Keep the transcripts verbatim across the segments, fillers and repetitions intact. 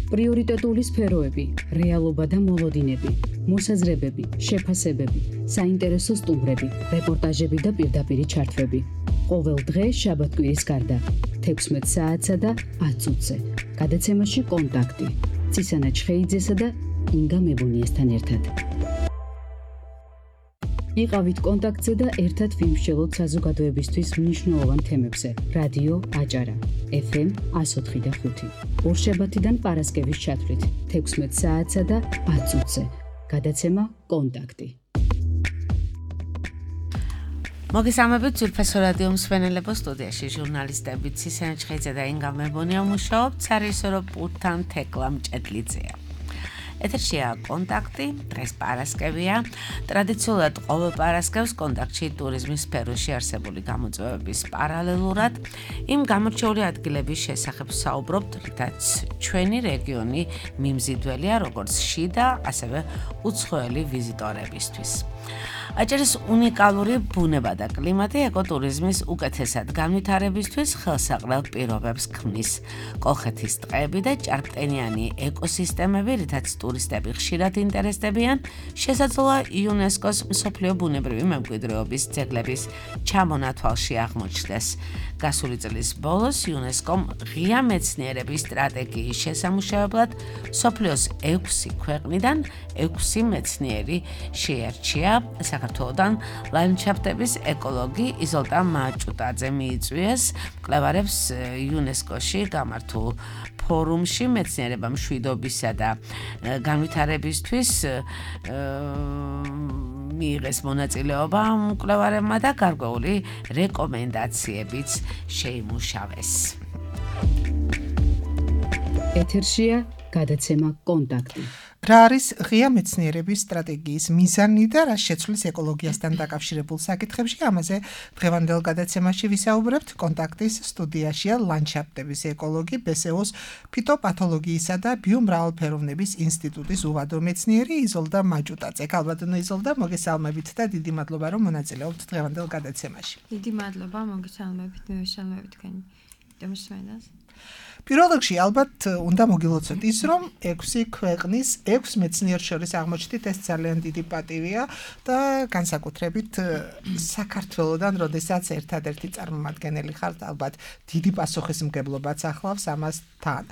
პრიორიტეტული სფეროები, რეალობა და მოლოდინები, მოსაზრებები, შეფასებები, საინტერესო სტუმრები, რეპორტაჟები და პირდაპირი ჩართვები. ყოველ დღე შაბათ-კვირის გარდა, თექვსმეტ საათსა და ათ წუთზე. გადაცემაში კონტაქტი. ცისანა ჩხეიძესა და ინგა მებონიესთან ერთად. იყავით კონტაქტზე და ერთად ვიმსჯელოთ საზოგადოებისთვის მნიშვნელოვან თემებზე. რადიო აჭარა, ეფ ემ εκατო ოთხი და ხუთი. ორშაბათიდან პარასკევის ჩათვლით, თექვსმეტ საათსა და ათ წუთზე. გადაცემა კონტაქტი. მოგესალმებით ძვირფასო რადიო მსმენელებო, სტუდიაში ჟურნალისტები ცისანა ჩხეიძე და ინგა მებონია მუშაობთ, სარეჟისორო პულტთან თეკლა მჭედლიძეა. ეთერშია კონტაქტი, დღეს პარასკევია. ტრადიციულად ყოველ პარასკევს კონტაქტში ტურიზმის სფეროში არსებული გამოწვევების პარალელურად იმ გამორჩეული ადგილების შესახებ საუბრობთ, რითაც ჩვენი რეგიონი მიმზიდველია როგორც შიდა, ასევე უცხოელი ვიზიტორებისთვის. აჭარის უნიკალური ბუნება და კლიმატი ეკოტურიზმის უკეთესად განვითარებისთვის ხელსაყრელ პირობებს ქმნის. კოლხეთის ტყეები და ჭარბტენიანი ეკოსისტემები, რითაც ტურისტები ხშირად ინტერესდებიან, შესაძლოა იუნესკოს მსოფლიო ბუნებრივი მემკვიდრეობის ძეგლების ჩამონათვალში აღმოჩნდეს. გასული წლის ბოლოს იუნესკომ ღია მეცნიერების სტრატეგიის შესამუშავებლად მსოფლიოს ექვსი ქვეყნიდან ექვსი მეცნიერი შეერჩია. საქართველოდან ლანდშაფტების ეკოლოგი იზოლტა მაჭუტაძე მიიწვიეს მკვლევარებს იუნესკოში გამართულ ფორუმში მეცნიერება მშვიდობისა და განვითარებისთვის მიიღეს მონაწილეობა მკვლევარებმა და გარკვეული რეკომენდაციებიც შეიმუშავეს. ეთერშია გადაცემა კონტაქტი. რა არის ღია მეცნიერების სტრატეგიის მიზანი და რა შეცვლის ეკოლოგიასთან დაკავშირებულ საკითხებში, ამაზე დღევანდელ გადაცემაში ვისაუბრებთ. კონტაქტის სტუდიაშია ლანდშაფტების ეკოლოგი, ბე ეს ე ოს ფიტოპათოლოგიისა და ბიომრავალფეროვნების ინსტიტუტის უვადო მეცნიერი იზოლტა მაჭუტაძე. ქალბატონო იზოლტა, მოგესალმებით და დიდი მადლობა, რომ მონაწილეობთ დღევანდელ გადაცემაში. დიდი მადლობა, მოგესალმებით, მივესალმებით თქვენი მსმენელს. პირველ რიგში ალბათ უნდა მოგილოცოთ ის, რომ ექვსი ქვეყნის ექვს მეცნიერს შორის აღმოჩნდით, ეს ძალიან დიდი პატივია და განსაკუთრებით საქართველოდან, როდესაც ერთადერთი წარმომადგენელი ხართ, ალბათ დიდი პასუხისმგებლობაც ახლავს ამასთან.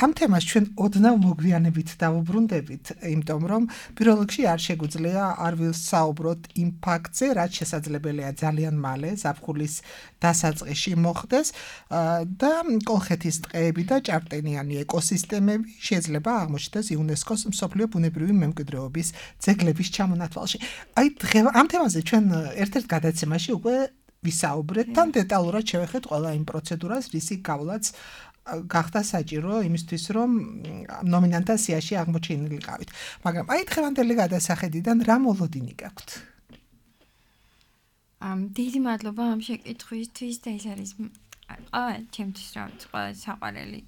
ამ თემას ჩვენ ოდნავ მოგვიანებით დავუბრუნდებით, იმიტომ რომ პირველ რიგში არ შეგვიძლია არ ვისაუბროთ იმ ფაქტზე, რაც შესაძლებელია ძალიან მალე ზაფხულის დასაწყისში მოხდეს და კოლხეთის ტყეები და ჭარბტენიანი ეკოსისტემები შეიძლება აღმოჩნდეს იუნესკოს მსოფლიო ბუნებრივი მემკვიდრეობის ძეგლების ჩამონათვალში. აი ამ თემაზე ჩვენ ერთ-ერთ გადაცემაში უკვე ვისაუბრეთ, თან დეტალურად შევეხეთ ყველა იმ პროცედურას, რისი გავლაც გახდა საჭირო იმისთვის, რომ ნომინანტთა სიაში აღმოჩენილიყავით. მაგრამ აი დღევანდელი გადასახედიდან რა მოლოდინი გაქვთ? ამ დიდი მადლობა ამ შეკითხვისთვის და ეს არის აა ჩემთვის რა ყველა საყვარელი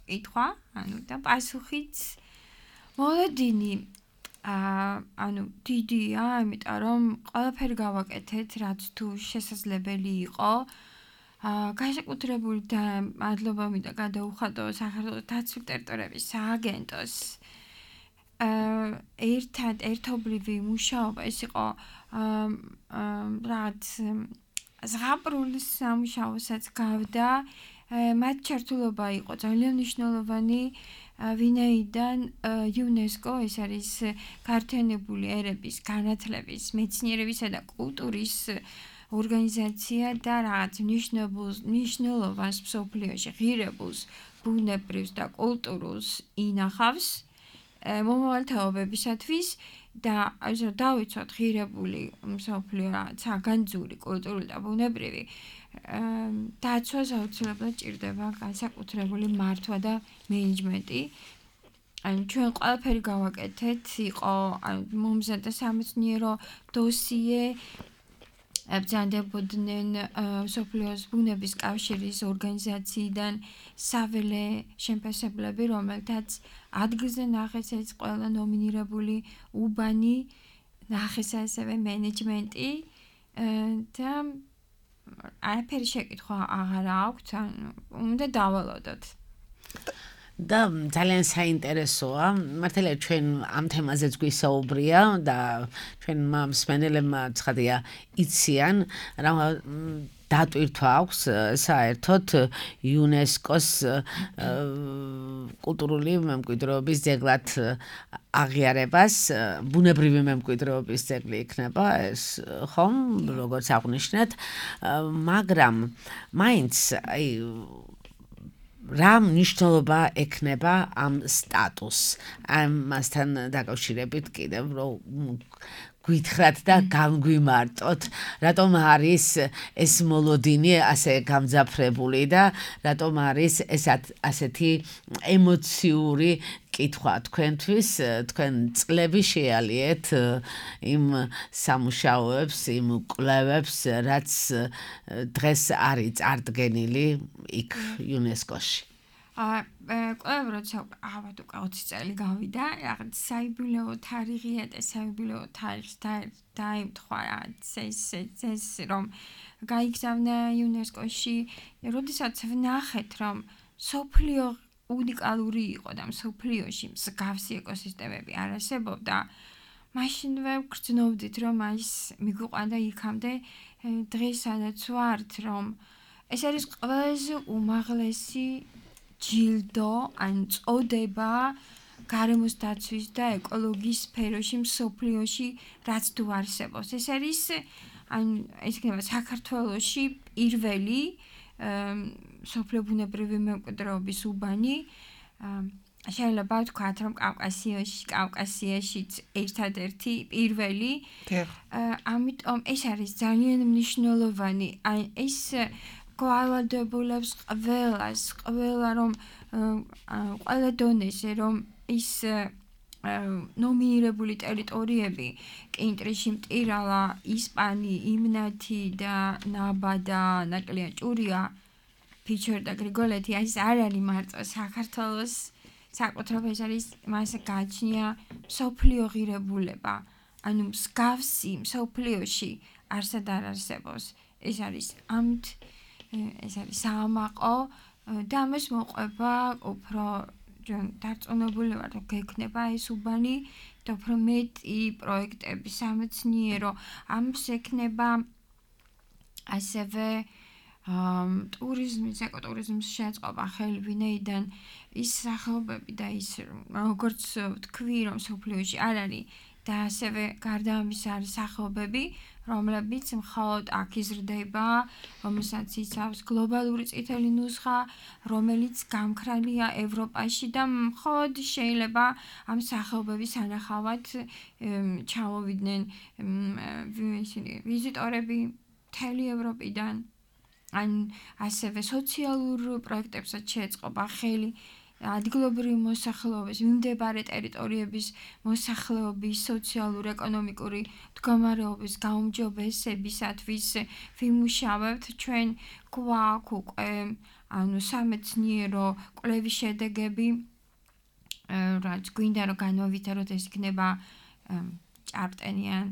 კითხვა, ანუ და პასუხიც მოლოდინი აა ანუ დიდია, იმიტომ რომ ყველაფერი გავაკეთეთ, რაც თუ შესაძლებელი იყო. აა განსაკუთრებული და მადლობა მინდა გადაუხადო საქართველოს დაცული ტერიტორიების სააგენტოს. აა ერთად ერთობლივი მუშაობა ეს იყო აა რაც ზღაპრულის სამუშაოსაც გავდა, მათ ჩართულობა იყო ძალიან მნიშვნელოვანი, ვინაიდან იუნესკო ეს არის გაერთიანებული ერების განათლების, მეცნიერებისა და კულტურის ორგანიზაცია და რაღაც მნიშვნელოვანს მსოფლიოში ღირებულს, ბუნებრივს და კულტურულს ინახავს მომავალთაობებისათვის და ასე დავიცვათ ღირებული მსოფლიო რაღაც საგანძური, კულტურული და ბუნებრივი დაცვას აუცილებლად ჭირდება განსაკუთრებული მართვა და მენეჯმენტი. ანუ ჩვენ ყველაფერი გავაკეთეთ, იყო მომზადდა სამეცნიერო დოსიე, ებრძანდებოდნენ მსოფლიოს ბუნების კავშირის ორგანიზაციიდან საველე შემფასებლები, რომელთაც ადგილზე ნახეს ეს ყველა ნომინირებული უბანი, ნახეს ასევე მენეჯმენტი და არაფერი შეკითხვა აღარ აქვს, უნდა დავალოდოთ. და ძალიან საინტერესოა. მართალია ჩვენ ამ თემაზეც გვისაუბრია და ჩვენ მსმენელებმა ცხადია იციან რა დატვირთვა აქვს საერთოდ იუნესკოს კულტურული მემკვიდრეობის ძეგლად აღიარებას, ბუნებრივი მემკვიდრეობის ძეგლი იქნება ეს, ხომ, როგორც აღნიშნეთ, მაგრამ მაინც აი რა მნიშვნელობა ექნება ამ სტატუსს, ამასთან დაკავშირებით კიდევ რომ გითხრათ და განგვიმარტოთ, რატომ არის ეს მოლოდინი ასე გამძაფრებული და რატომ არის ეს ასეთი ემოციური კითხვა თქვენთვის, თქვენ წლები შეალიეთ იმ სამუშაოებს, იმ კვლევებს, რაც დღეს არის წარდგენილი იქ იუნესკოში. კვლევა როცა ალბათ უკვე ოცი წელი გავიდა, რაღაც საიუბილეო თარიღია და საიუბილეო თარიღს დაემთხვა ეს ეს რომ გაიგზავნა იუნესკოში, როდესაც ვნახეთ რომ სოფლიო უნიკალური იყო და სოფლიოში მსგავსი ეკოსისტემები არ არსებობდა, მაშინვე ვგრძნობდით რომ ის მიგვიყვანდა იქამდე დღეს სადაც ვართ, რომ ეს არის ყველაზე უმაღლესი ჯილდო, ან წოდება გარემოს დაცვის და ეკოლოგიის სფეროში მსოფლიოში, რაც თუ არსებობს. ეს არის ან ეს იქნება საქართველოში პირველი მსოფლიო ბუნებრივი მემკვიდრეობის უბანი. შეიძლება ვთქვათ, რომ კავკასიაში, კავკასიაშიც ერთადერთი პირველი. ამიტომ ეს არის ძალიან მნიშვნელოვანი. აი ეს გვალვადებულებს ყველას, ყველა რომ ყველა დონეზე რომ ის ნომინირებული ტერიტორიები კინტრიში, მტირალა, ისპანი, იმნათი და ნაბა და ნაკლია ჭურია, ფიჩორ და გრიგოლეთი, ეს არ არის მარტო საქართველოს საკუთრება, ეს არის მას გააჩნია მსოფლიო ღირებულება. ანუ მსგავსი მსოფლიოში არსად არ არსებობს. ეს არის ამით ეს არის საამაყო და ამას მოყვება უფრო დარწმუნებული ვარ, რომ გექნება ეს უბანი და უფრო მეტი პროექტები სამეცნიერო, ამს ექნება ასევე ტურიზმის, ეკოტურიზმის შეწყობა ხელი, ვინაიდან ის სახეობები და ის როგორც ვთქვი, რომ სოფლიოში არ არის და ასევე გარდა ამისა არის სახეობები, რომლებიც მხოლოდ აქ იზრდება, რომელსაც იცავს გლობალური წითელი ნუსხა, რომელიც გამქრალია ევროპაში და მხოლოდ შეიძლება ამ სახეობების სანახავად ჩამოვიდნენ ვიზიტორები მთელი ევროპიდან. ან ასევე სოციალურ პროექტებსაც შეეწყობა ხელი, ადგილობრივი მოსახლეობის, მიმდებარე ტერიტორიების მოსახლეობის სოციალურ-ეკონომიკური მდგომარეობის გაუმჯობესებისათვის ვიმუშავებთ. ჩვენ გვაქვს უკვე ანუ სამეცნიერო კვლევის შედეგები, რაც გვინდა რომ განვავითაროთ, ეს იქნება ჭარბტენიან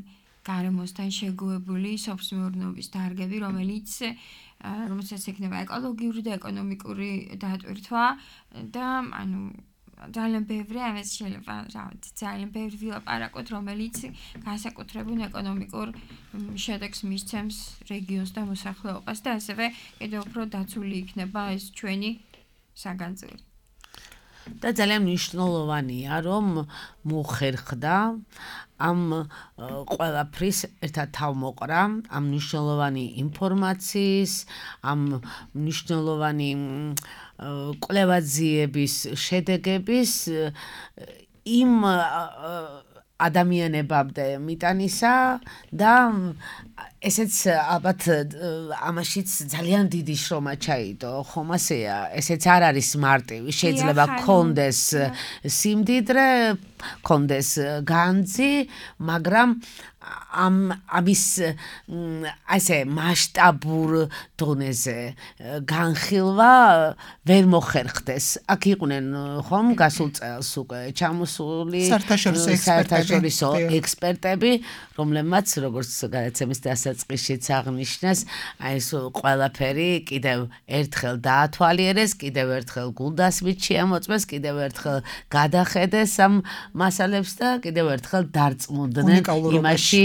გარემოსთან შეგუებული სოფლმეურნეობის დარგები, რომელიც რომელსაც ექნება ეკოლოგიური და ეკონომიკური დატვირთვა და ანუ ძალიან ბევრი ამას შეიძლება ძალიან ბევრი ვილაპარაკოთ, რომელიც განსაკუთრებულ ეკონომიკურ შედეგს მისცემს რეგიონს და მოსახლეობას და ასევე კიდევ უფრო დაცული იქნება ეს ჩვენი საგანძური. და ძალიან მნიშვნელოვანია, რომ მოხერხდა ამ ყველაფრის ერთად თავმოყრა, ამ მნიშვნელოვანი ინფორმაციის, ამ მნიშვნელოვანი კვლევაძიების შედეგების იმ ადამიანებამდე მიტანისა და ესეც ალბათ ამაშიც ძალიან დიდი შრომა ჩაიდო, ხომ ასეა, ესეც არ არის მარტივი, შეიძლება კონდეს სიმდიდრე, კონდეს განძი, მაგრამ ამ ამის ასე მასშტაბურ დონეზე განხილვა ვერ მოხერხდეს. აქ იყვნენ ხომ გასულ წელს უკვე ჩამოსული საერთაშორისო ექსპერტები, რომლებმაც როგორც გადაცემის დასაწყისშიც აღნიშნეს, აი ეს ყველაფერი კიდევ ერთხელ დაათვალიერეს, კიდევ ერთხელ გულდასმით შეამოწმეს, კიდევ ერთხელ გადახედეს ამ მასალებს და კიდევ ერთხელ დარწმუნდნენ იმაში,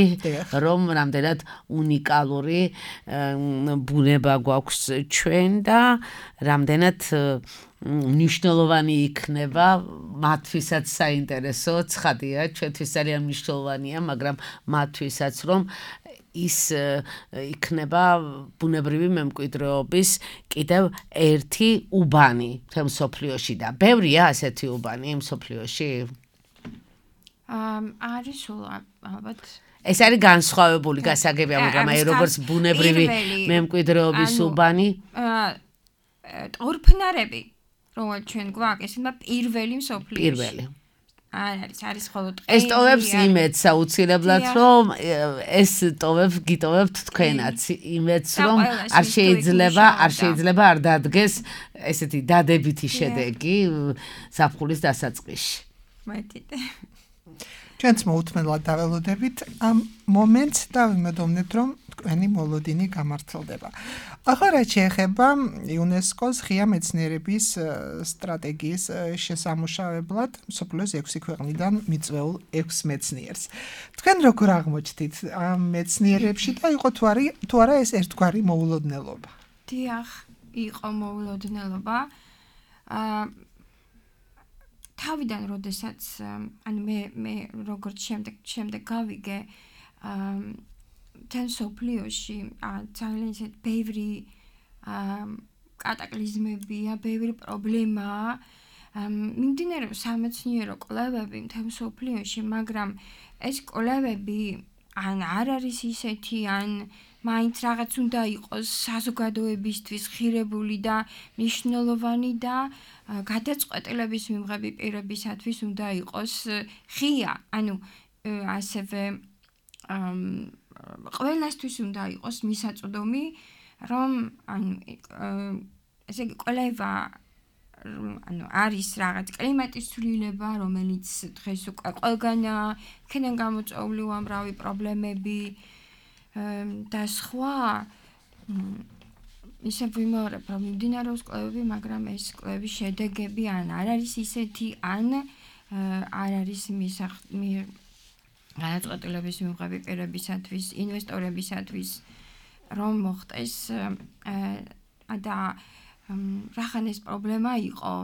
რომ რამდენად უნიკალური ბუნება გვაქვს ჩვენ და რამდენად მნიშვნელოვანი იქნება მათთვისაც საინტერესო ცხადია, ჩვენთვის ძალიან მნიშვნელოვანია, მაგრამ მათთვისაც რომ ის იქნება ბუნებრივი მემკვიდრეობის კიდევ ერთი უბანი მთელ მსოფლიოში და ბევრია ასეთი უბანი მსოფლიოში? არის სულ ალბათ ეს არის განსხვავებული გასაგებია, მაგრამ აი როგორც ბუნებრივი მემკვიდრეობის უბანი ტორფნარები, რომელიც ჩვენ გვაქვს, ესენა პირველი მსოფლიოში. პირველი. არის არის ხოლო ტყე. ეს ტოვებს იმედს აუცილებლად, რომ ეს ტოვებს გიტოვებთ თქვენაც იმედს, რომ არ შეიძლება, არ შეიძლება არ დადგეს ესეთი დადებითი შედეგი ზაფხულის დასაწყისში. მეთით. ჩვენც მოუთმენლად დაველოდებით ამ მომენტს და ვიმედოვნებთ, რომ თქვენი მოლოდინი გამართლდება. ახლა რაც შეეხება იუნესკოს ღია მეცნიერების სტრატეგიის შესამუშავებლად მსოფლიოს ექვსი ქვეყნიდან მიწვეულ ექვს მეცნიერს. თქვენ როგორ აღმოჩნდით ამ მეცნიერებში და იყო თუ არა თუ არა ეს ერთგვარი მოულოდნელობა? დიახ, იყო მოულოდნელობა. აა თავიდან როდესაც ანუ მე მე როგორც შემდეგ შემდეგ გავიგე თან სოფლიოში ძალიან ისეთ ბევრი კატაკლიზმებია, ბევრი პრობლემაა. მიმდინარეობს სამეცნიერო კვლევები თან სოფლიოში, მაგრამ ეს კვლევები ან არ არის ისეთი, ან მაინც რაღაც უნდა იყოს საზოგადოებისთვის ხირებული და მნიშვნელოვანი და გადაწყვეტილების მიღების პირებისათვის უნდა იყოს ღია, ანუ ასევე ყველასთვის უნდა იყოს მისაწვდომი, რომ ანუ ესე იგი კვლევა ანუ არის რაღაც კლიმატის ცვლილება, რომელიც დღეს უკვე ყველგანაა, იქიდან გამოწვეული უამრავი პრობლემები და სხვა ისე ვიმეორებ, რომ მიმდინარეობს კვლევები, მაგრამ ეს კვლევის შედეგები ან არ არის ისეთი, ან არ არის გადაწყვეტილების მიღების პირებისათვის, ინვესტორებისათვის, რომ მოხდეს და რახან ეს პრობლემა იყო.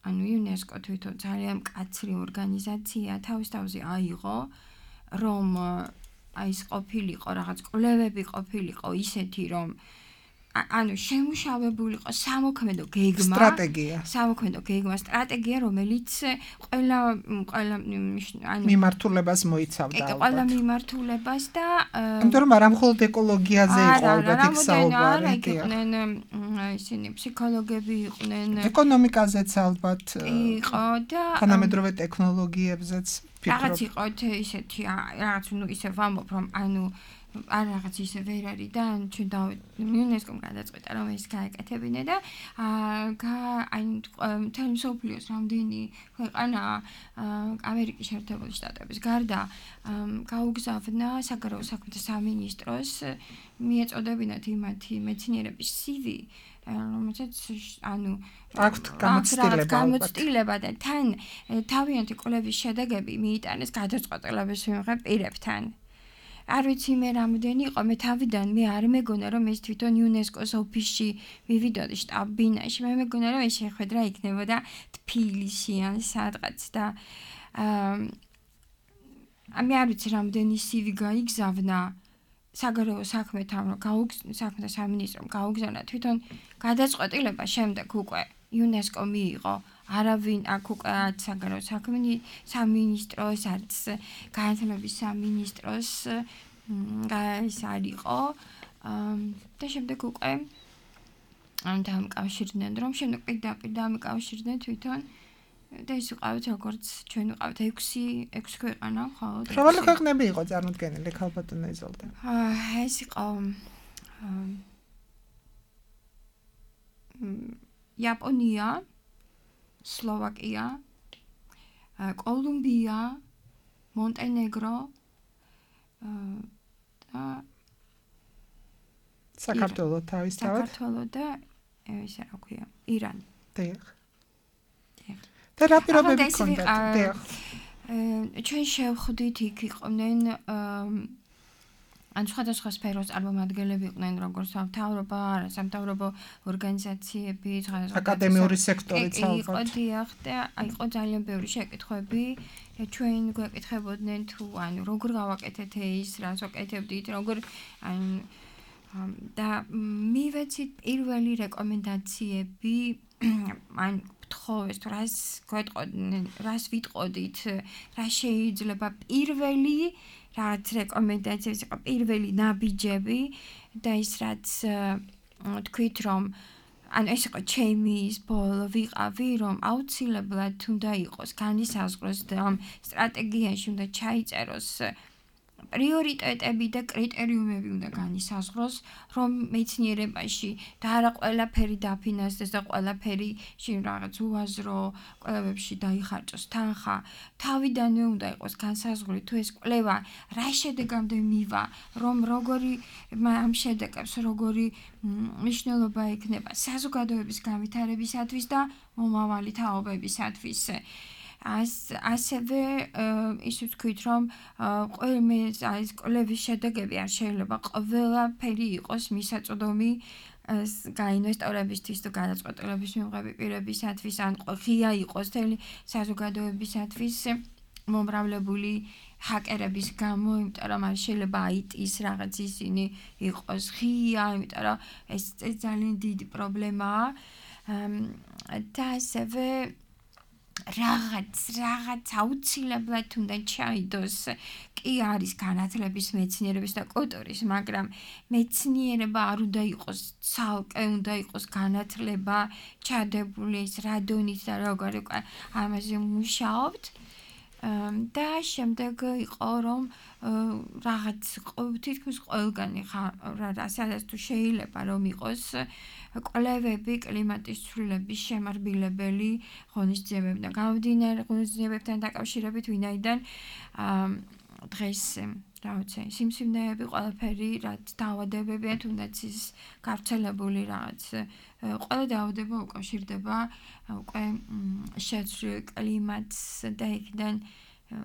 ანუ იუნესკო თვითონ ძალიან მკაცრი ორგანიზაცია, თავის თავზე აიღო, რომ აი ეს ყოფილიყო რაღაც კვლევები ყოფილიყო ისეთი, რომ ანუ შემუშავებულიყო სამოქმედო გეგმა, სტრატეგია. სამოქმედო გეგმა, სტრატეგია, რომელიც ყველა ყველა ანუ მიმართულებას მოიცავდა ალბათ. ყველა მიმართულებას და იმიტომ რომ არა მხოლოდ ეკოლოგიაზე იყო ალბათ იქ საუბარი. იყვნენ ისინი ფსიქოლოგები იყვნენ. ეკონომიკაზეც ალბათ იყო და თანამედროვე ტექნოლოგიებზეც რაღაც იყო ისეთი რაღაც ნუ ისე ვამბობ რომ ანუ არ რაღაც ისე ვერ არის და ჩვენ და იუნესკომ გადაწყვეტა რომ ეს გაეკეთებინა და აი მთელი მსოფლიოს რამდენი ქვეყანა ამერიკის შეერთებული შტატების გარდა გაუგზავნა საგარეო საქმეთა სამინისტროს მიეწოდებინათ იმათი მეცნიერების სივი რომელსაც ანუ აქვთ გამოცდილება გამოცდილება და თან თავიანთი კვლევის შედეგები მიიტანეს გადაწყვეტილების მიღებ პირებთან. არ ვიცი მე რამდენი იყო, მე თავიდან მე არ მეგონა რომ ეს თვითონ იუნესკოს ოფისში მივიდოდი შტაბ-ბინაში, მე მეგონა რომ ეს შეხვედრა იქნებოდა თბილისში ან სადღაც და აა მე არ ვიცი რამდენი სივი გაიგზავნა საგარეო საქმეთა საქმეთა სამინისტრომ გაუგზავნა თვითონ გადაწყვეტილება შემდეგ უკვე იუნესკო მიიღო არავინ აქ უკვე საგარეო საქმეთა სამინისტროს არც განათლების სამინისტროს ეს არ იყო და შემდეგ უკვე ამ დამკავშირდნენ რომ შემდეგ პირდაპირ დამკავშირდნენ თვითონ და ის ვიყავით როგორც ჩვენ ვიყავით ექვსი ექვსი ქვეყანა ხოლმე. რომელი ქვეყნები იყო წარმოდგენილი ქალბატონო იზოლდა? აა ეს იყო იაპონია, სლოვაკია, კოლუმბია, მონტენეგრო და საქართველო თავისთავად. საქართველო და ესე რა ქვია, ირანი. დიახ. და რა პირობები გქონდათ? დიახ. ჩვენ შევხვდით იქ იყვნენ ან სხვადასხვა სფეროს წარმომადგენლები იყვნენ, როგორც სამთავრობო, არასამთავრობო ორგანიზაციები, აკადემიური სექტორიც ალბათ. იყო დიახ და იყო ძალიან ბევრი შეკითხვები. ჩვენ გვეკითხებოდნენ თუ ანუ როგორ გავაკეთეთ ის, რას ვაკეთებდით, როგორ ან და მივეცით პირველი რეკომენდაციები ან თხოვეს თუ რას გვეტყოდნენ, რას ვიტყოდით, რა შეიძლება პირველი რაც რეკომენდაციები იყო პირველი ნაბიჯები და ის რაც თქვით რომ ანუ ეს იყო ჩემი ის ბოლო ვიყავი რომ აუცილებლად უნდა იყოს განისაზღვროს და ამ სტრატეგიაში უნდა ჩაიწეროს პრიორიტეტები და კრიტერიუმები უნდა განისაზღვროს, რომ მეცნიერებაში და არა ყველაფერი დაფინანსდეს და ყველაფერი შინ რაღაც უაზრო კვლევებში დაიხარჯოს თანხა. თავიდანვე უნდა იყოს განსაზღვრული თუ ეს კვლევა რა შედეგამდე მივა, რომ როგორი ამ შედეგებს როგორი მნიშვნელობა ექნება საზოგადოების განვითარებისათვის და მომავალი თაობებისათვის. As ასევე ის ვთქვით რომ ყველა ეს კვლევის შედეგები არ შეიძლება ყველაფერი იყოს მისაწვდომი გაინვესტორებისთვის თუ გადაწყვეტილების მიღების პირებისათვის ან ღია იყოს თელი საზოგადოებისათვის მომრავლებული ჰაკერების გამო, იმიტომ რომ არ შეიძლება აი ტის რაღაც ისინი იყოს ღია, იმიტომ რომ ეს ძალიან დიდი პრობლემაა და ასევე რაღაც რაღაც აუცილებლად უნდა ჩაიდოს კი არის განათლების მეცნიერების და კულტურის, მაგრამ მეცნიერება არ უნდა იყოს ცალკე, უნდა იყოს განათლება ჩადებული ის რადონით და როგორ უკვე ამაზე მუშაობთ და შემდეგ იყო რომ რაღაც თითქმის ყველგანი სადაც თუ შეიძლება რომ იყოს კვლევები კლიმატის ცვლილების შემარბილებელი ღონისძიებები და გამომდინარე ღონისძიებებთან დაკავშირებით ვინაიდან დღეს რაღაცა სიმსივნეები ყველაფერი რაც დაავადებებია თუნდაც ის გავრცელებული რაღაც ყველა დაავადება უკავშირდება უკვე შეცვლილ კლიმატს და იქიდან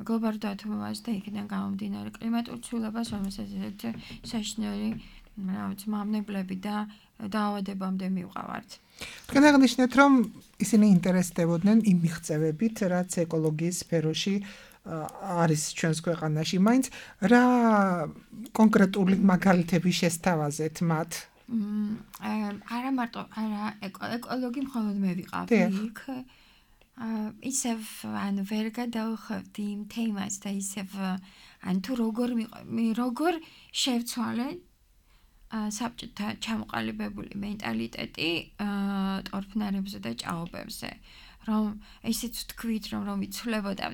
გლობალურ დათბობას და იქიდან გამომდინარე კლიმატურ ცვლილებას, რომელსაც საშინელი რაღაც მავნებლები და დაავადებამდე მივყავართ. თქვენ აღნიშნეთ, რომ ისინი ინტერესდებოდნენ იმ მიღწევებით, რაც ეკოლოგიის სფეროში არის ჩვენს ქვეყანაში. მაინც რა კონკრეტული მაგალითები შესთავაზეთ მათ? არა მარტო არა ეკოლოგი მხოლოდ მე ვიყავი იქ. ისევ ან ვერ გადავხვევდი იმ თემას და ისევ ან თუ როგორ როგორ შევცვალე საბჭოთა ჩამოყალიბებული მენტალიტეტი ტორფნარებზე და ჭაობებზე. რომ ესეც თქვით რომ რომ იცვლებოდა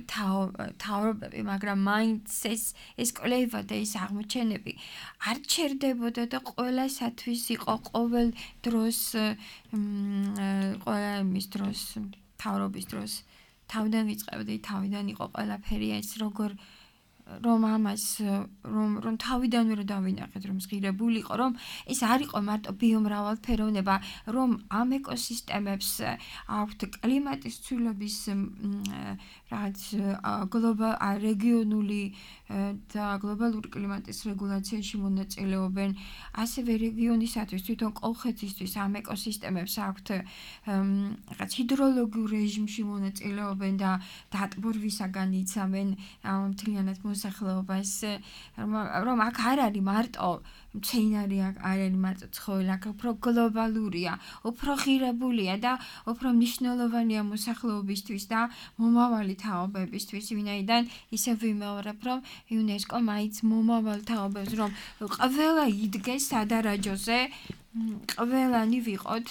თავრობები, მაგრამ მაინც ეს ეს კვლევა და ეს აღმოჩენები არ ჩერდებოდა და ყველასათვის იყო ყოველ დროს ყველა მის დროს თავრობის დროს თავიდან ვიწყებდი, თავიდან იყო ყველაფერი ეს როგორ რომ ამას რომ რომ თავიდანვე რომ დავინახეთ რომ ზღირებული იყო რომ ეს არ იყო მარტო ბიომრავალფეროვნება რომ ამ ეკოსისტემებს აქვთ კლიმატის ცვლილების რაღაც გლობალ რეგიონული და გლობალური კლიმატის რეგულაციაში მონაწილეობენ ასევე რეგიონისათვის თვითონ კოლხეთისთვის ამ ეკოსისტემებს აქვთ რაღაც ჰიდროლოგიურ რეჟიმში მონაწილეობენ და დატბორვისაგან იცავენ ამ მთლიანად მოსახლეობას რომ აქ არ არის მარტო მცენარე არ არის მარტო ცხოველი, აქ უფრო გლობალურია, უფრო ღირებულია და უფრო მნიშვნელოვანია მოსახლეობისთვის და მომავალი თაობებისთვის, ვინაიდან ისევ ვიმეორებ, რომ იუნესკო მაინც მომავალ თაობებს რომ ყველა იდგეს სადარაჯოზე, ყველანი ვიყოთ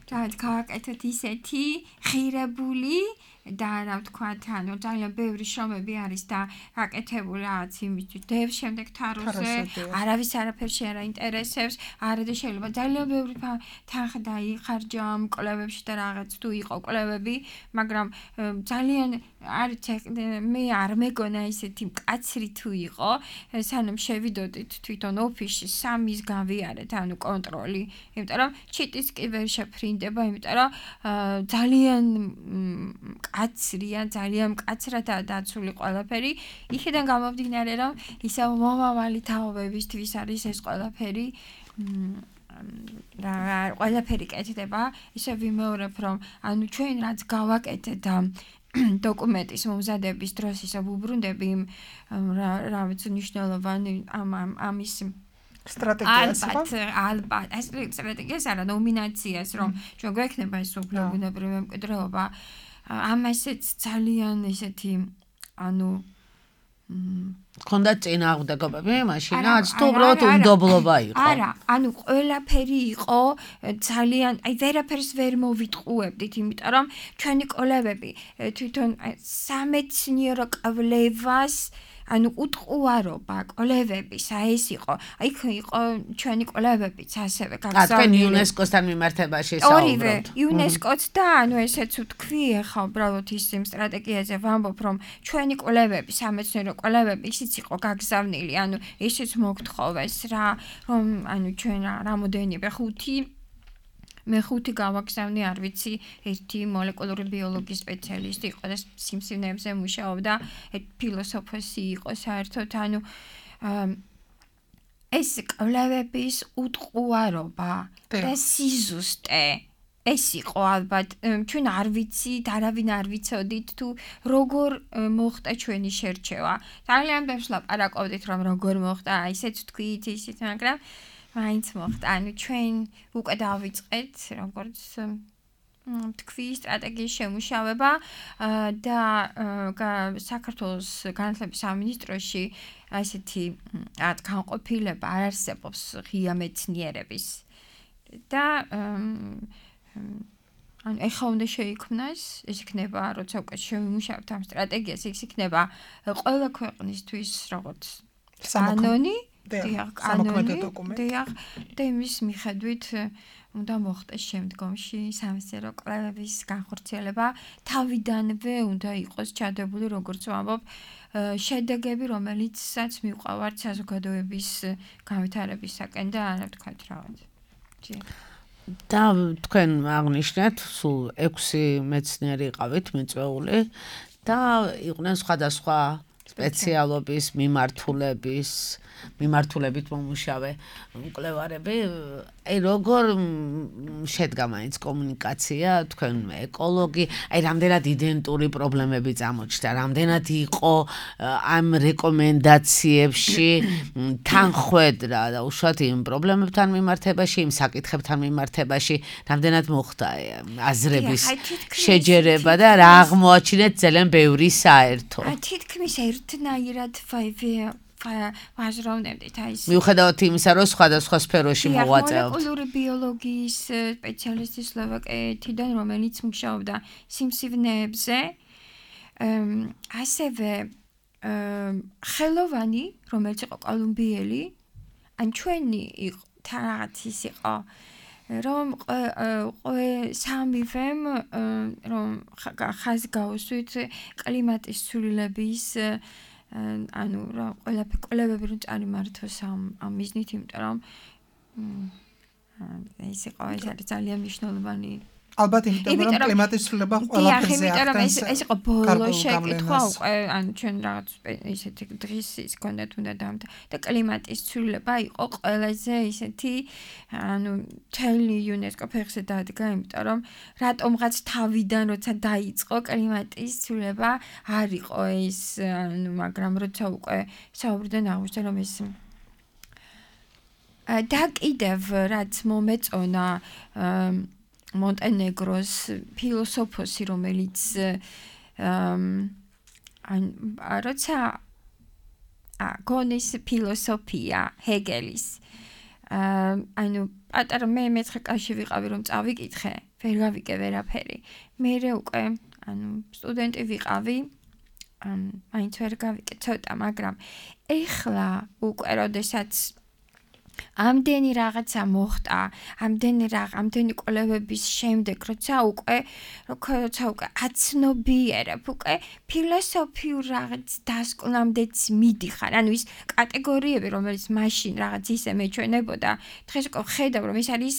რაც გავაკეთოთ ისეთი ღირებული და რა ვთქვათ, ანუ ძალიან ბევრი შრომები არის და გაკეთებული რაღაც იმისთვის დევს შემდეგ თაროზე, არავის არაფერში არ აინტერესებს, არა და შეიძლება ძალიან ბევრი თანხა დაიხარჯა ამ კვლევებში და რაღაც თუ იყო კვლევები, მაგრამ ძალიან არც მე არ მეგონა ისეთი მკაცრი თუ იყო, სანამ შევიდოდით თვითონ ოფისში სამის გავიარეთ, ანუ კონტროლი, იმიტომ რომ ჩიტის კი ვერ შეფრინდება, იმიტომ რომ ძალიან მკაცრია, ძალიან მკაცრადაა დაცული ყველაფერი. იქიდან გამომდინარე, რომ ისე მომავალი თაობებისთვის არის ეს ყველაფერი რა ყველაფერი კეთდება, ისე ვიმეორებ, რომ ანუ ჩვენ რაც გავაკეთეთ და დოკუმენტის მომზადების დროს ისე ვუბრუნდები იმ რა ვიცი მნიშვნელოვანი ამ ამის სტრატეგიას ხო? ალბათ, ეს სტრატეგიას არა, ნომინაციას, რომ ჩვენ გვექნება ეს უფრო ბუნებრივი მემკვიდრეობა, ამასაც ძალიან ისეთი ანუ ქონდა წინააღმდეგობები მაშინაც თუ უბრალოდ უნდობლობა იყო. არა, ანუ ყველაფერი იყო ძალიან, აი ვერაფერს ვერ მოვიტყუებდით, იმიტომ რომ ჩვენი კოლეგები თვითონ სამეცნიერო კვლევას ანუ უტყუარობა კოლეგების აი ეს იყო. აი იქ იყო ჩვენი კოლეგებიც ასევე გაგზავნილი. თქვენ იუნესკოსთან მიმართებაში საუბრობთ. ორივე, იუნესკოც და ანუ ესეც ვთქვი, ახლა უბრალოდ ის იმ სტრატეგიაზე ვამბობ, რომ ჩვენი კოლეგები, სამეცნიერო კოლეგები ისიც იყო გაგზავნილი, ანუ ისიც მოგთხოვეს რა, რომ ანუ ჩვენ რამოდენიმე ხუთი მე ხუთი გავაგზავნე, არ ვიცი, ერთი მოლეკულური ბიოლოგიის სპეციალისტი იყო და სიმსივნეებზე მუშაობდა, ფილოსოფოსი იყო საერთოდ, ანუ ეს კვლევების უტყუარობა და სიზუსტე ეს იყო ალბათ, ჩვენ არ ვიცით, არავინ არ ვიცოდით თუ როგორ მოხდა ჩვენი შერჩევა. ძალიან ბევრს ლაპარაკობდით, რომ როგორ მოხდა, ისეც თქვით, ისიც, მაგრამ მაინც მოხდა. ანუ ჩვენ უკვე დავიწყეთ, როგორც თქვი, სტრატეგიის შემუშავება და საქართველოს განათლების სამინისტროში ასეთი რაღაც განყოფილება არ არსებობს ღია მეცნიერების და ანუ ეხლა უნდა შეიქმნას, ეს იქნება, როცა უკვე შევიმუშავებთ ამ სტრატეგიას, ეს იქნება ყველა ქვეყნისთვის როგორც კანონი, დიახ, კანონი, დიახ, და იმის მიხედვით უნდა მოხდეს შემდგომში სამეცნიერო კვლევების განხორციელება, თავიდანვე უნდა იყოს ჩადებული, როგორც ვამბობ, შედეგები, რომელიცაც მივყავართ საზოგადოების განვითარებისაკენ და არა ვთქვათ რაღაც. და თქვენ აღნიშნეთ, სულ ექვსი მეცნიერი იყავით მიწვეული და იყვნენ სხვადასხვა სპეციალობის მიმართულების მიმართულებით მომუშავე მკვლევარები. აი როგორ შედგა მაინც კომუნიკაცია, თქვენ ეკოლოგი, აი რამდენად იდენტური პრობლემები წამოჩნდა, რამდენად იყო ამ რეკომენდაციებში თანხვედრა და უშუალოდ იმ პრობლემებთან მიმართებაში, იმ საკითხებთან მიმართებაში, რამდენად მოხდა აზრების შეჯერება და რა აღმოაჩინეთ ძალიან ბევრი საერთო. თითქმის ერთნაირად ვაზროვნებდით აი ეს. მიუხედავად იმისა, რომ სხვადასხვა სფეროში მოვაწეობთ. მოლეკულური ბიოლოგიის სპეციალისტი სლოვაკეთიდან, რომელიც მუშაობდა სიმსივნეებზე, ასევე ხელოვანი, რომელიც იყო კოლუმბიელი, ან ჩვენი რაღაც ის იყო, რომ სამივემ რომ ხაზი გავუსვით კლიმატის ცვლილების ანუ რა ყველაფერი კვლევები რომ წარიმართოს ამ ამ მიზნით, იმიტომ რომ ეს იყო ეს არის ძალიან მნიშვნელოვანი. ალბათ იმიტომ რომ კლიმატის ცვლილება ყველაფერზე ახდენს. ეს იყო ბოლო შეკითხვა უკვე, ანუ ჩვენ რაღაც ისეთი დღის ის კონდეთ უნდა დამთა და კლიმატის ცვლილება იყო ყველაზე ისეთი ანუ თელი იუნესკო ფეხზე დადგა, იმიტომ რომ რატომღაც თავიდან როცა დაიწყო კლიმატის ცვლილება არ იყო ეს, ანუ მაგრამ როცა უკვე საუბრდნენ აღმოჩნდა რომ ეს და კიდევ რაც მომეწონა მონტენეგროს ფილოსოფოსი, რომელიც ან როცა გონის ფილოსოფია ჰეგელის ანუ პატარა მე მეცხრე კლასში ვიყავი რომ წავიკითხე, ვერ გავიკე ვერაფერი. მერე უკვე ანუ სტუდენტი ვიყავი, მაინც ვერ გავიკეთე ცოტა, მაგრამ ეხლა უკვე როდესაც ამდენი რაღაცა მოხდა, ამდენი რაღაც, ამდენი კვლევების შემდეგ, როცა უკვე, როცა უკვე აცნობიერებ, უკვე ფილოსოფიურ რაღაც დასკვნამდეც მიდიხარ, ანუ ის კატეგორიები, რომელიც მაშინ რაღაც ისე მეჩვენებოდა, დღეს უკვე ხედავ, რომ ეს არის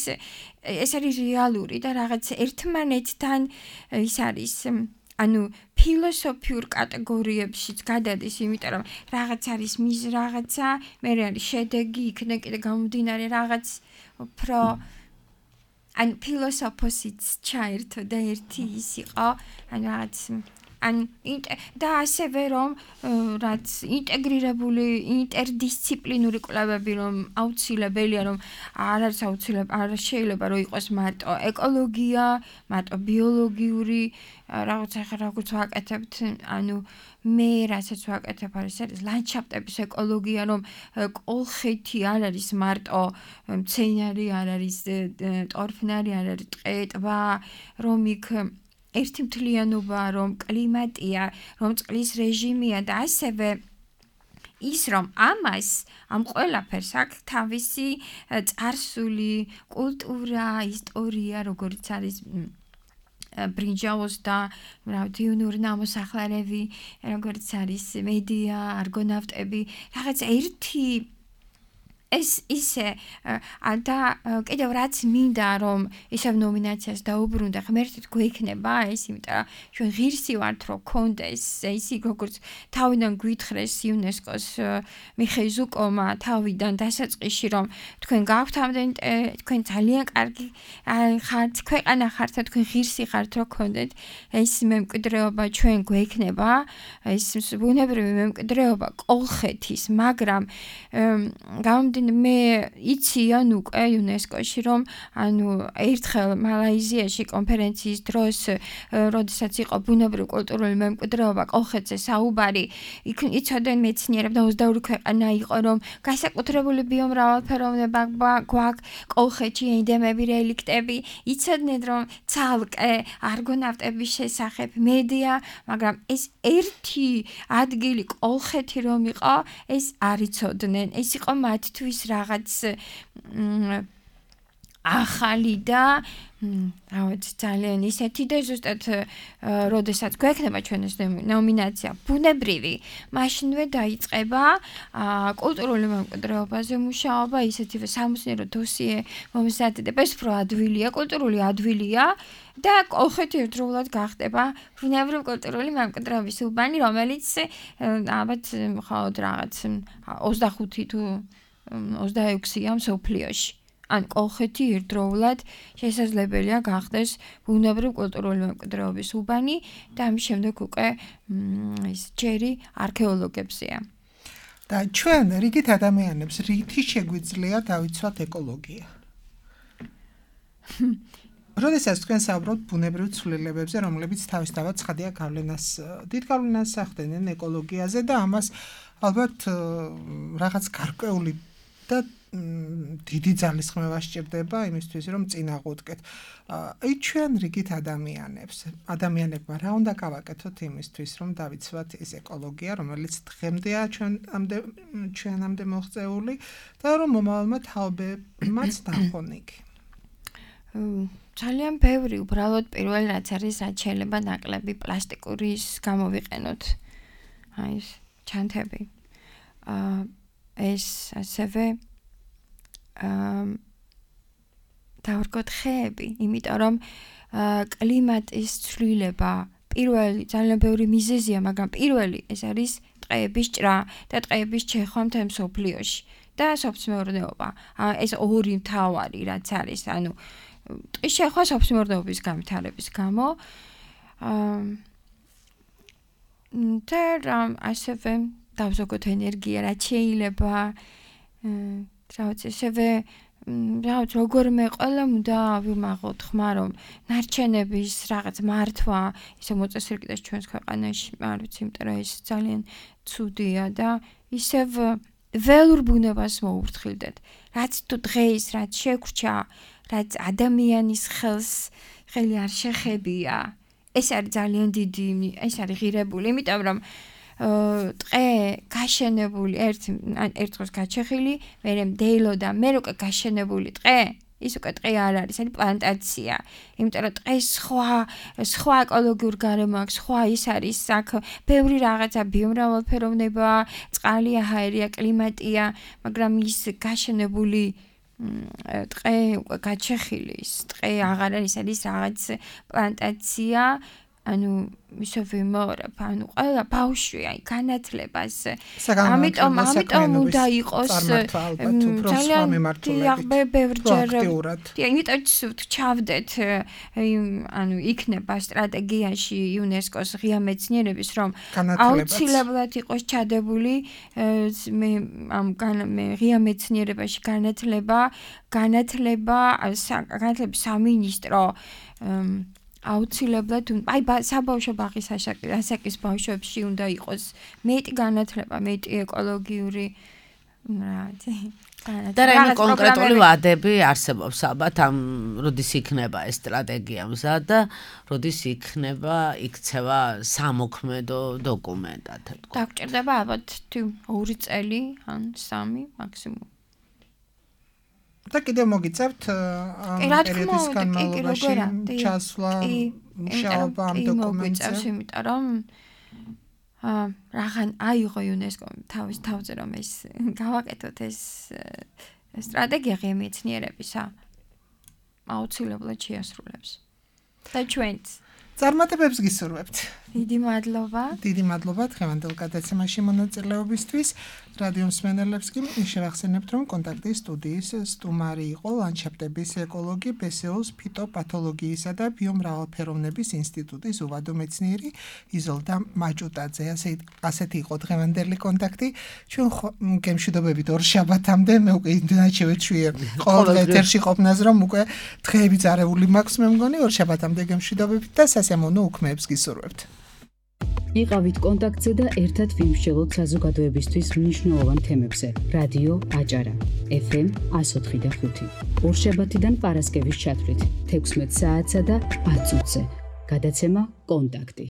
ეს არის რეალური და რაღაც ერთმანეთთან ის არის ანუ ფილოსოფიურ კატეგორიებშიც გადადის, იმიტომ რომ რაღაც არის მის რაღაცა, მე არის შედეგი, იქნება კიდე გამომდინარე რაღაც უფრო ანუ ფილოსოფოსიც ჩაერთო და ერთი ის იყო, ანუ რაღაც ან და ასევე რომ რაც ინტეგრირებული ინტერდისციპლინური კვლევები რომ აუცილებელია რომ არ არის აუცილებელი არ შეიძლება რომ იყოს მარტო ეკოლოგია, მარტო ბიოლოგიური რაღაცა რაღაც ვაკეთებთ, ანუ მე რასაც ვაკეთებ არის არის ლანდშაფტების ეკოლოგია, რომ კოლხეთი არ არის მარტო მცენარე, არ არის ტორფნარი, არ არის ტყე, ტბა, რომ იქ ერთი მთლიანობა, რომ კლიმატია, რომ წყლის რეჟიმია და ასევე ის რომ ამას ამ ყველაფერს აქვს თავისი წარსული, კულტურა, ისტორია, როგორც არის ბრინჯაოს და დიუნური ნამოსახლარები, როგორც არის მედია, არგონავტები, რაღაც ერთი ეს ისე და კიდევ რაც მინდა რომ ისევ ნომინაციას დაუბრუნდა, ღმერთით გვექნება ეს, იმიტომ რომ ჩვენ ღირსი ვართ რომ კონდეს ეს როგორც თავიდან გვითხრეს იუნესკოს მიხეილ ზუკოვმა თავიდან დასაწყისში რომ თქვენ გაქვთ ამდენი თქვენ ძალიან კარგი ხართ, ქვეყანა ხართ და თქვენ ღირსი ხართ რომ კონდეთ ეს მემკვიდრეობა ჩვენ გვექნება, ეს ბუნებრივი მემკვიდრეობა კოლხეთის, მაგრამ გამომდინარე მე იციან უკვე იუნესკოში რომ ანუ ერთხელ მალაიზიაში კონფერენციის დროს როდესაც იყო ბუნებრივი კულტურული მემკვიდრეობა კოლხეთზე საუბარი, იქ იცოდნენ მეცნიერები და ოცდაორი ქვეყანა იყო რომ განსაკუთრებული ბიომრავალფეროვნება გვაქვს კოლხეთში, ენდემები, რელიქტები, იცოდნენ რომ ცალკე არგონავტების შესახებ მედია, მაგრამ ეს ერთი ადგილი კოლხეთი რომ იყო, ეს არ იცოდნენ, ეს იყო მათთვის რაღაც ახალი და რაღაც ძალიან ისეთი და ზუსტად როდესაც გვექნება ჩვენ ეს ნომინაცია ბუნებრივი, მაშინვე დაიწყება კულტურული მემკვიდრეობაზე მუშაობა, ისეთივე სამეცნიერო დოსიე მომზადდება, ეს უფრო ადვილია, კულტურული ადვილია და კოლხეთი ერთდროულად გახდება ბუნებრივი კულტურული მემკვიდრეობის უბანი, რომელიც ალბათ მხოლოდ რაღაც ოცდახუთი თუ ოცდაექვსია მსოფლიოში. ან კოლხეთი ერთდროულად შესაძლებელია გახდეს ბუნებრივი კულტურული მემკვიდრეობის უბანი და ამის შემდეგ უკვე ის ჯერი არქეოლოგებზეა. და ჩვენ რიგით ადამიანებს რითი შეგვიძლია დავიცვათ ეკოლოგია? როდესაც თქვენ საუბრობთ ბუნებრივ ცვლილებებზე, რომლებიც თავისთავად ცხადია გავლენას, დიდ გავლენას ახდენენ ეკოლოგიაზე და ამას ალბათ რაღაც გარკვეული და დიდი ძალისხმევა სჭირდება იმისთვის, რომ წინააღმდეგეთ. აი ჩვენ რიგით ადამიანებს, ადამიანებმა რა უნდა გავაკეთოთ იმისთვის, რომ დავიცვათ ეს ეკოლოგია, რომელიც დღემდეა ჩვენ ამდე ჩვენამდე მოღწეული და რომ მომავალმა თაობებმაც ნახონ იქ. ძალიან ბევრი უბრალოდ პირველ რაც არის, რაც შეიძლება ნაკლები პლასტიკურის გამოვიყენოთ. აი ეს ჩანთები. აა ეს ასევე დავარგოთ ხეები, იმიტომ რომ კლიმატის ცვლილება პირველი ძალიან ბევრი მიზეზია, მაგრამ პირველი ეს არის ტყეების ჭრა და ტყეების ჩეხვა მთელ მსოფლიოში და სოფლმეურნეობა. ეს ორი მთავარი რაც არის, ანუ ტყის შეხვა სოფლმეურნეობის განვითარების გამო და ასევე დავზოგოთ ენერგია, რაც შეიძლება რაღაც ესევე რაღაც როგორმე ყველა უნდა ვიმაღოთ ხმა რომ ნარჩენების რაღაც მართვა ისე მოწესრიგდეს ჩვენს ქვეყანაში, არ ვიცი, იმიტომ რომ ეს ძალიან ცუდია და ისევ ველურ ბუნებას მოურთხილდეთ. რაც თუ დღეს რაც შეგვრჩა, რაც ადამიანის ხელს ხელი არ შეხებია, ეს არის ძალიან დიდი, ეს არის ღირებული, იმიტომ რომ ტყე გაშენებული ერთ ერთ დროს გაჩეხილი, მერე მდეილო და მე უკვე გაშენებული ტყე ის უკვე ტყე არ არის, არის პლანტაცია. იმიტომ რომ ტყეს სხვა სხვა ეკოლოგიურ გარემო აქვს, სხვა ის არის, აქ ბევრი რაღაცა ბიომრავალფეროვნება, წყალია, ჰაერია, კლიმატია, მაგრამ ის გაშენებული ტყე უკვე გაჩეხილი, ის ტყე აღარ არის, არის რაღაც პლანტაცია. ანუ ისე ვიმეორებ, ანუ ყველა ბავშვი აი განათლებას. ამიტომ ამიტომ უნდა იყოს ძალიან ბევრჯერ. იმიტომ ჩავდეთ, ანუ იქნება სტრატეგიაში იუნესკოს ღია მეცნიერების, რომ აუცილებლად იყოს ჩადებული მე ამ ღია მეცნიერებაში განათლება, განათლება, განათლების სამინისტრო აუცილებლად აი საბავშვო ბაღის ასაკის ბავშვებში უნდა იყოს მეტი განათლება, მეტი ეკოლოგიური და რაიმე კონკრეტული ვადები არსებობს ალბათ ამ როდის იქნება ეს სტრატეგია მზად და როდის იქნება იქცევა სამოქმედო დოკუმენტად თქო. დაგჭირდება ალბათ ორი წელი ან სამი მაქსიმუმ. და კიდევ მოგიწევთ ამ პერიოდის განმავლობაში ჩასვლა მუშაობა ამ დოკუმენტზე. იმიტომ რომ რაღან აიღო იუნესკო თავის თავზე რომ ეს გავაკეთოთ ეს სტრატეგია ღია მეცნიერებისა აუცილებლად შეასრულებს. და ჩვენც წარმატებებს გისურვებთ. დიდი მადლობა. დიდი მადლობა დღევანდელ გადაცემაში მონაწილეობისთვის. რადიო მსმენელებს კი შევახსენებთ, რომ კონტაქტის სტუდიის სტუმარი იყო ლანდშაფტების ეკოლოგი ბე ეს ო-ს ფიტოპათოლოგიისა და ბიომრავალფეროვნების ინსტიტუტის უვადო მეცნიერი იზოლდა მაჭუტაძე. ასეთი იყო დღევანდელი კონტაქტი. ჩვენ გემშვიდობებით ორ შაბათამდე, მე უკვე იმდენად შევეჩვიე ყოველდღე ეთერში ყოფნას, რომ უკვე დღეები წარეული მაქვს, მე მგონი ორ შაბათამდე გემშვიდობებით და სასიამოვნო უქმეებს გისურვებთ. იყავით კონტაქტზე და ერთად ვიმსჯელოთ საზოგადოებისთვის მნიშვნელოვან თემებზე. რადიო აჭარა ეფ ემ εκατო ოთხი და ხუთი. ორშაბათიდან პარასკევის ჩათვლით თექვსმეტ საათსა და ათ წუთზე. გადაცემა კონტაქტი.